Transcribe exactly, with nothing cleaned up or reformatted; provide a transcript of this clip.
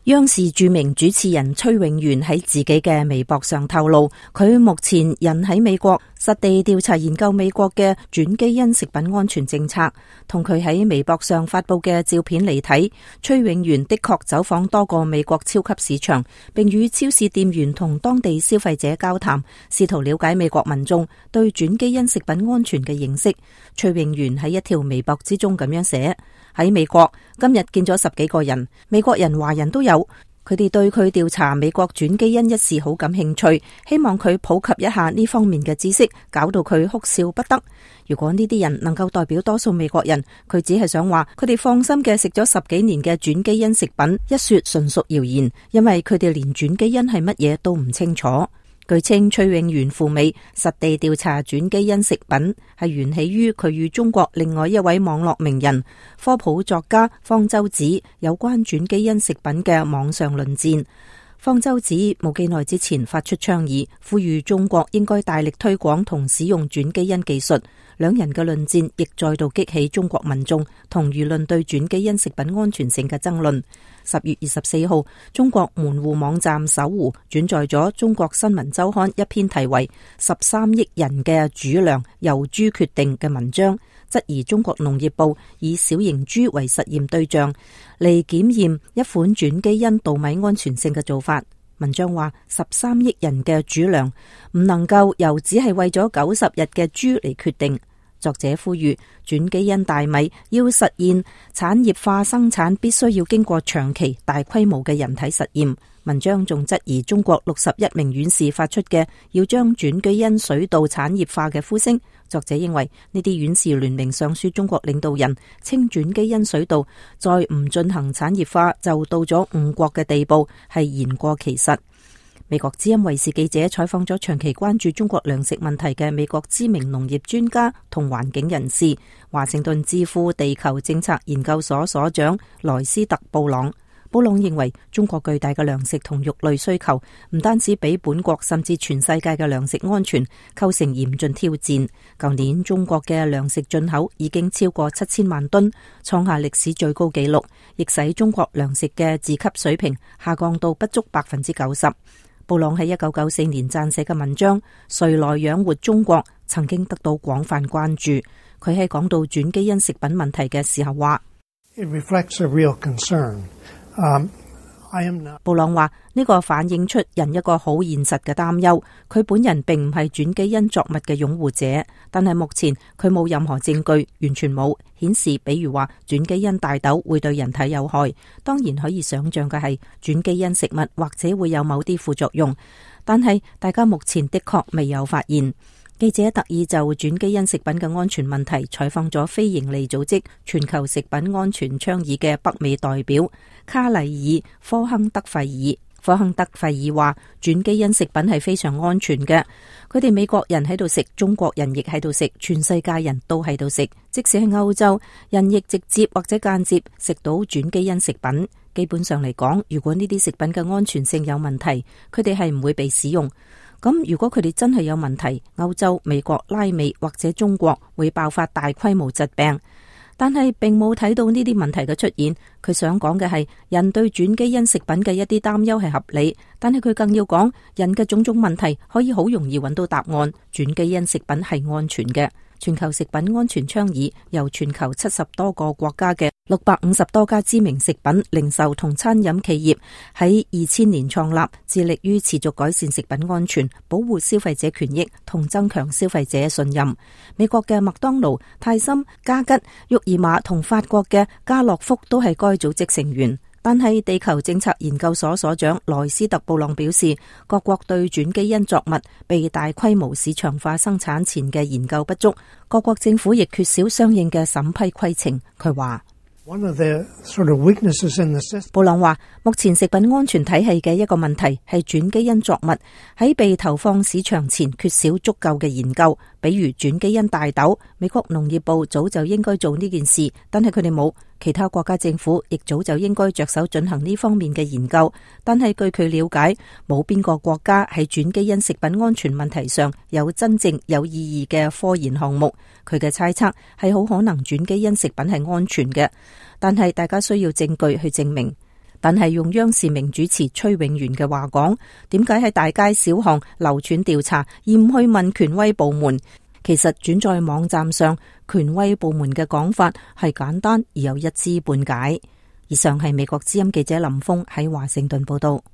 央視著名主持人崔永元喺自己嘅微博上透露，佢目前人喺美國，實地調查研究美國嘅轉基因食品安全政策。同佢喺微博上發佈嘅照片嚟睇，崔永元的確走訪多個美國超級市場，並與超市店員同當地消費者交談，試圖了解美國民眾對轉基因食品安全嘅認識。崔永元喺一條微博之中咁樣寫：喺美國今日見咗十幾個人，美國人、華人都有。佢哋對佢調查美國轉基因一事好感興趣，希望佢普及一下呢方面嘅知識，搞到佢哭笑不得。如果呢啲人能夠代表多數美國人，佢只係想話佢哋放心嘅食咗十幾年嘅轉基因食品，一說純屬謠言，因為佢哋連轉基因係乜嘢都唔清楚。據稱，崔永元赴美實地調查轉基因食品，係源起於佢與中國另外一位網絡名人、科普作家方舟子有關轉基因食品嘅網上論戰。方舟子冇幾耐之前發出倡議，呼籲中國應該大力推廣同使用轉基因技術。兩人嘅論戰亦再度激起中國民眾同輿論對轉基因食品安全性嘅爭論。十月二十四號，中國門戶網站搜狐轉載咗中國新聞週刊一篇題為《十三億人嘅主糧由豬決定》嘅文章，質疑中國農業部以小型豬為實驗對象嚟檢驗一款轉基因稻米安全性嘅做法。文章話，十三億人嘅主糧唔能夠由只係為咗九十日嘅豬嚟決定。作者呼籲轉基因大米要實現產業化生產，必須要經過長期大規模嘅人體實驗。文章仲質疑中國六十一名院士發出嘅要將轉基因水稻產業化嘅呼聲。作者認為呢啲院士聯名上書中國領導人，稱轉基因水稻再唔進行產業化就到咗誤國嘅地步，係言過其實。美國之音衛視記者採訪咗長期關注中國糧食問題嘅美國知名農業專家同環境人士，華盛頓智庫地球政策研究所所長萊斯特布朗。布朗認為中國巨大嘅糧食同肉類需求唔單止俾本國甚至全世界嘅糧食安全構成嚴峻挑戰。舊年中國嘅糧食進口已經超過七千萬噸，創下歷史最高紀錄，亦使中國糧食嘅自給水平下降到不足百分之九十。布朗喺一九九四年撰寫嘅文章《誰來養活中國》曾經得到廣泛關注。佢喺講到轉基因食品問題嘅時候話，It reflects a real concern. Um, I am not... 布朗話呢個反映出人一個好現實嘅擔憂。佢本人並唔係轉基因作物嘅擁護者，但係目前佢冇任何證據，完全冇顯示，比如話轉基因大豆會對人體有害。當然可以想象嘅係轉基因食物或者會有某啲副作用，但係大家目前的確未有發現。記者特意就轉基因食品嘅安全問題採訪咗非營利組織全球食品安全倡議嘅北美代表卡麗爾科亨德費爾。科亨德費爾話，轉基因食品係非常安全嘅，佢哋美國人喺度食，中國人亦喺度食，全世界人都喺度食，即使係歐洲人亦直接或者間接食到轉基因食品。基本上嚟講，如果呢啲食品嘅安全性有問題，佢哋係唔會被使用。咁如果佢哋真係有問題，歐洲、美國、拉美或者中國會爆發大規模疾病，但係並冇睇到呢啲問題嘅出現。佢想講嘅係，人對轉基因食品嘅一啲擔憂係合理，但係佢更要講，人嘅種種問題可以好容易揾到答案。轉基因食品係安全嘅。全球食品安全倡議由全球七十多個國家嘅六百五十多家知名食品零售同餐飲企業喺二千年創立，致力於持續改善食品安全、保護消費者權益同增強消費者信任。美國嘅麥當勞、泰森、嘉吉、沃爾瑪同法國嘅家樂福都係該組織成員。但係地球政策研究所所長萊斯特布朗表示，各國對轉基因作物被大規模市場化生產前嘅研究不足，各國政府亦缺少相應嘅審批規程。佢話One of the sort of weaknesses in the system. 布朗話，目前食品安全體系嘅一個問題係轉基因作物喺被投放市場前缺少足夠嘅研究，比如轉基因大豆，美國農業部早就應該做呢件事，但係佢哋冇。其他國家政府亦早就應該着手進行呢方面嘅研究，但係據佢了解，冇邊個國家喺轉基因食品安全問題上有真正有意義嘅科研項目。佢嘅猜測係好可能轉基因食品係安全嘅，但係大家需要證據去證明。但係用央視名主持崔永元嘅話講，點解喺大街小巷流傳調查而唔去問權威部門？其實轉在網站上，權威部門嘅講法係簡單而又一知半解。以上係美國之音記者林峰喺華盛頓報道。